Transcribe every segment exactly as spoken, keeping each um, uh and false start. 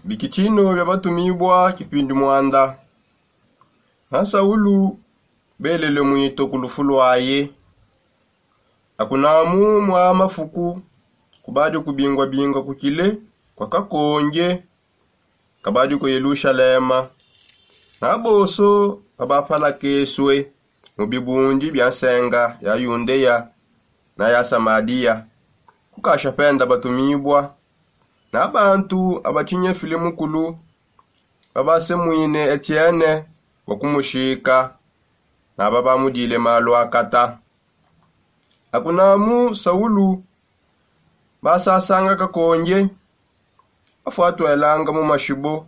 Bikitshino bia batumibua kipindi muanda. Na saulu belele muito ku lufu luaye. Akunamu mua mafuku kubadi kubingua-bingua kukile kua kakonge kabadi ku yelushalema. Na bonso babapalakesue mu bibundi bia nsenga ya yundeya na ya samadiya. Kukasha penda batumibua na bantu abatshinyefile mukulu babasemuine etiene bua kumushika. Na babamudile malu akata. Akunamu saulu basasanga kakonge afuatuelanga mu mashibo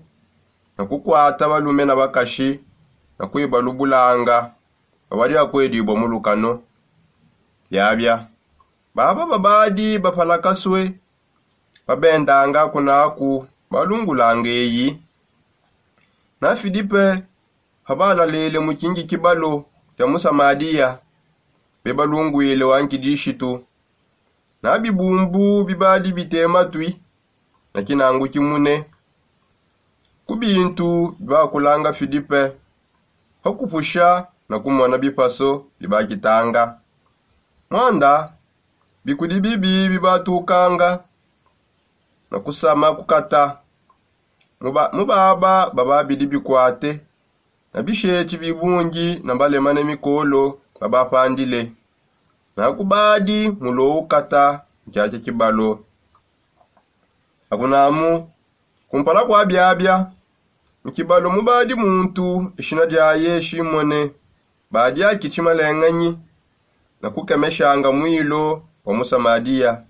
na kukuata balume na bakashi na kuibalubulanga. Babadi bakuedibua mu lukano. Biabia baba babadi bapalakasue babendanga kunaku balungulanga eyi. Na filipe pabalalele mu kingi kibalo kia mu samadiya bebalunguile wa nkidishitu. Na bibumbu bibadi bitema tui na kinangu kimune ku bintu bibakulanga filipe pakupusha na kumona bipaso bibakitanga. Muanda bikudi bibi bibatukanga na kusama kukata mu baba babidi bikuate na bisheti bibungi na balemane mikolo babapandile. Na kubadi mulo ukata nkiakia kibalo. Akunamu kumpala kua biabia mu kibalo mubadi muntu ishina diaye shimone badi akitshi malenganyi na kukemeshanga muilo wa mu samadiya.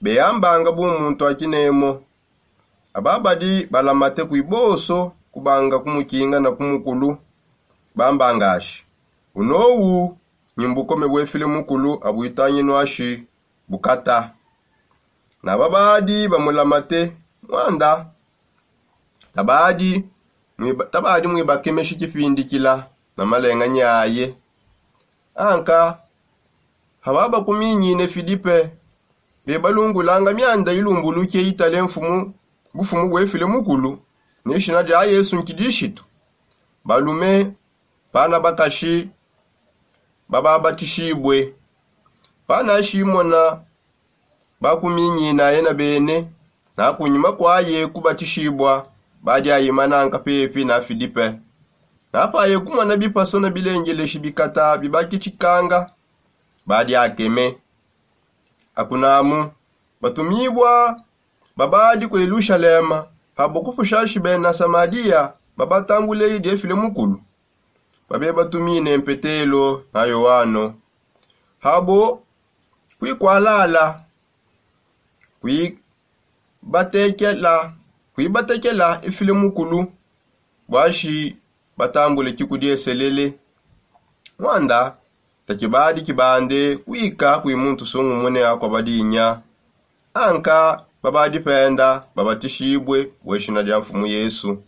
Beyambanga bu muntu akinemo. Aba badi balamate kui bonso kubanga kumukinga na kumukulu bambangashi unowu nyimbuko mebuefile mukulu abuitanginuashi bukata. Na babadi bamulamate muanda tabadi muibakemeshi kipindikila na malenganyi aye. Anka pababakuminyine filipe bebalungulanga mianda ilumbuluke itale mfumu bufumu buefile mukulu ne shina dia yesu nkidishitu. Balume bana bakashi bababatishibue. Bana shimona bakuminyinaye na bene na kunyima kuaye kubatishibua badi ayimananga pepi na filipe. Na paye kumona bipaso na bilengeleshi bikata bibakitshikanga badi akeme. Akunamu batumibua babadi ku yelushalema pabo kupushashi bena samadiya babatambule diefile mukulu babebatumine mpetelo na yoano. Habo kuikwalala kuibatekela kuibatekela ifile mukulu buashi batambule kikudieselele. Muanda takibadi kibande kuika kui muntu sungumune akua badinya. Anka babadi penda babatishibue bueshina dia mfumu yesu.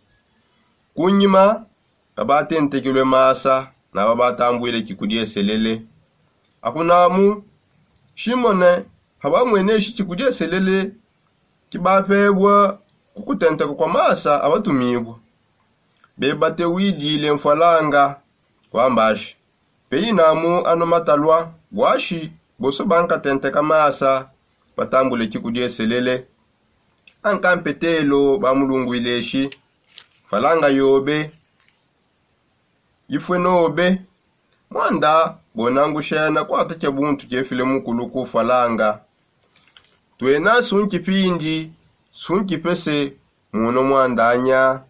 Kunyima babatentekelue masa na babatambuile kikudieselele. Akunamu shimone pabamueneshi kikudieselele kibapebua ku kutenteka kua masa abatumibua. Bebate widile mfualanga kuambashi peyinamu ano matalua buashi bonso bankatenteka masa batambule kikudieselele. Anka mpetelo bamulunguileshi mfualanga yobe ifue nobe. Muanda bonangushena kuata kia buntu kiefile mukulu kufalanga. Tuena sunki pindi sunki pese muno muanda anya.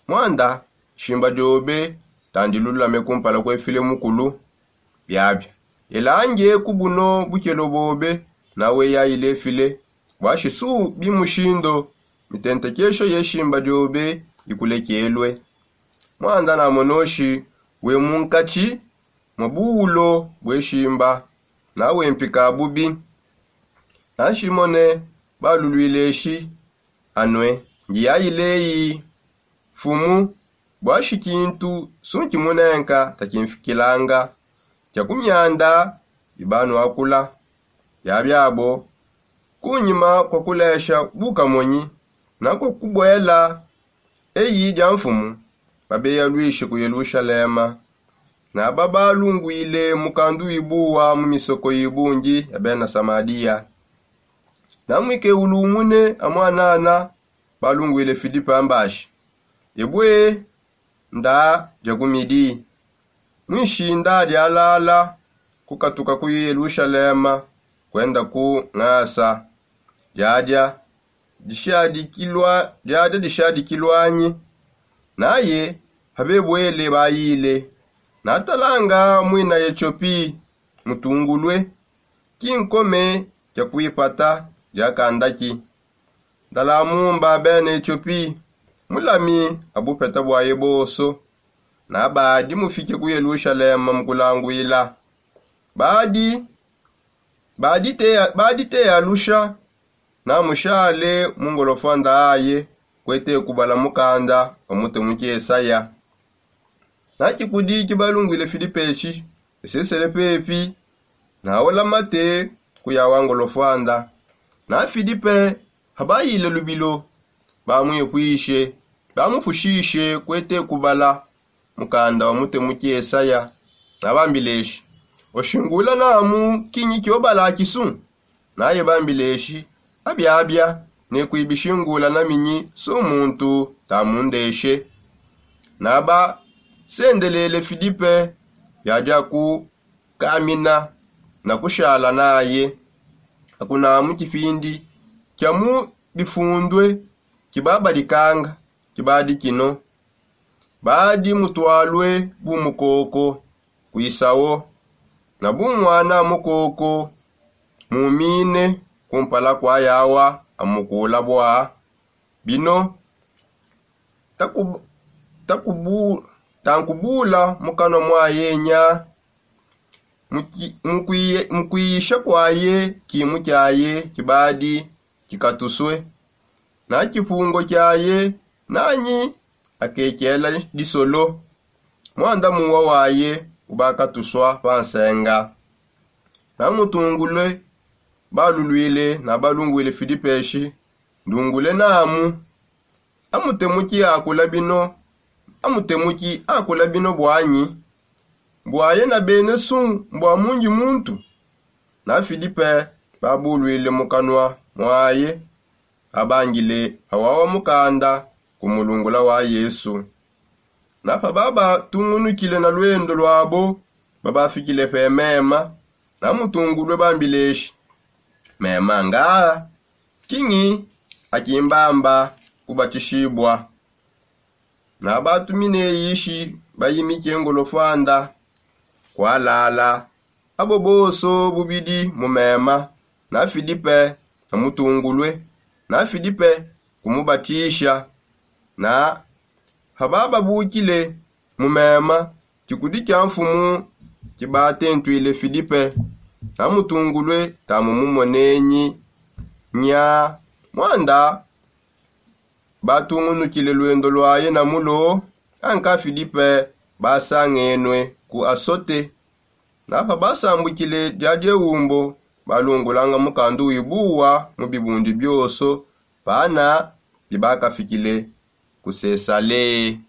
Muanda shimba diobe tandi lulame kumpala kuefile mukulu. Biabia elange ku buno bukelo bobe nawe yayile efile bua shisu bimushindo mitentekesho ye shimba diobe ikulekelue. Muanda namonoshi we munkatshi mua buwulo bue shimba nawe mpika bubi. Nashimone baluluileshi anue ndiyayileyi mfumu bua shikintu sunki munenka takimfikilanga kia ku mianda ibanuakula. Biabiabo kunyima kua kulesha bukamonyi na kua kubuela Eyi dia mfumu, babeya luishi ku yelushalema, naba balungwile mukandu ibuwa mu misoko ibungi ya bena samaria. Namwike ulungune amwanana, balungwile filipe ambashi, ebwe nda dia kumidi, mwishinda dialala kukatuka ku yelushalema, kwenda ku ngasa diadia dishadikilwanyi. Naye habebwele bayile, natalanga mwina etiopi mutungulwe, kinkome kia kwipata diakandaki. Ndala mumba bena etiopi, mulami abupeta bwaye boso. Nabadi mufike ku yelushalema mukulangwila, badi baditeya lusha, namushale mu ngolofwanda aye, kwete kubala mukanda wa mute mukiesaya. Na kikudi kibalungwile filipe eshi esesele pepi, naola mate kuya wa ngolofwanda. Na filipe habayile lubilo, bamwipwishe, bamupushishe kwete kubala mukanda wa mute mukiesaya. Nabambileshi, oshingula namu kinyi kiobala kisu? Naye bambileshi, abiabia, ne kwibishingula naminyi su muntu tamundeshe. Naba sendelele filipe biadia kukamina na kushala naye. Akunamu kipindi kia mu bifundwe kibabadikanga, kibadi kino, badi mutwalwe bu mukoko kwisawo, na bu mwana mukoko mumine kumpala kwa yawa amukula bwa bino, tankubula mukanwa mwaye nya. Mukwiyisha kwaye kimu kyaye kibadi kikatuswe, na kipungo kyaye nanyi akekela disolo. Mwanda muwa waye ubakatuswa pa nsenga. Na mutungulwe balulwile na balungwile filipeshi, ndungule namu, amutemuki akula bino amutemuki akula bino bwanyi? Bwaye na bene su mbwa mungi muntu? Na filipe babulwile mu kanwa mwaye, abangile awawa mukanda ku mulungula wa yesu. Na pa babatungunukile na lwendo lwabo, babafikile pe mema. Na mutungulwe bambileshi, mema nga kingi akimbamba kubatishibwa? Na batumine yishi bayimike ngolofwanda kwalala abo boso bubidi mu mema, na filipe na mutungulwe, na filipe kumubatisha. Na pa bababukile mu mema, kikudi kia mfumu kibatentwile filipe, na mutungulwe tamu mumonenyi nya. Mwanda batungunukile lwendo lwaye na mulo, anka filipe basangenwe ku asote. Na pa basambukile dia dieumbo, balungulanga mukandu wibuwa mu bibundi bioso pana bibakafikile ku sesale.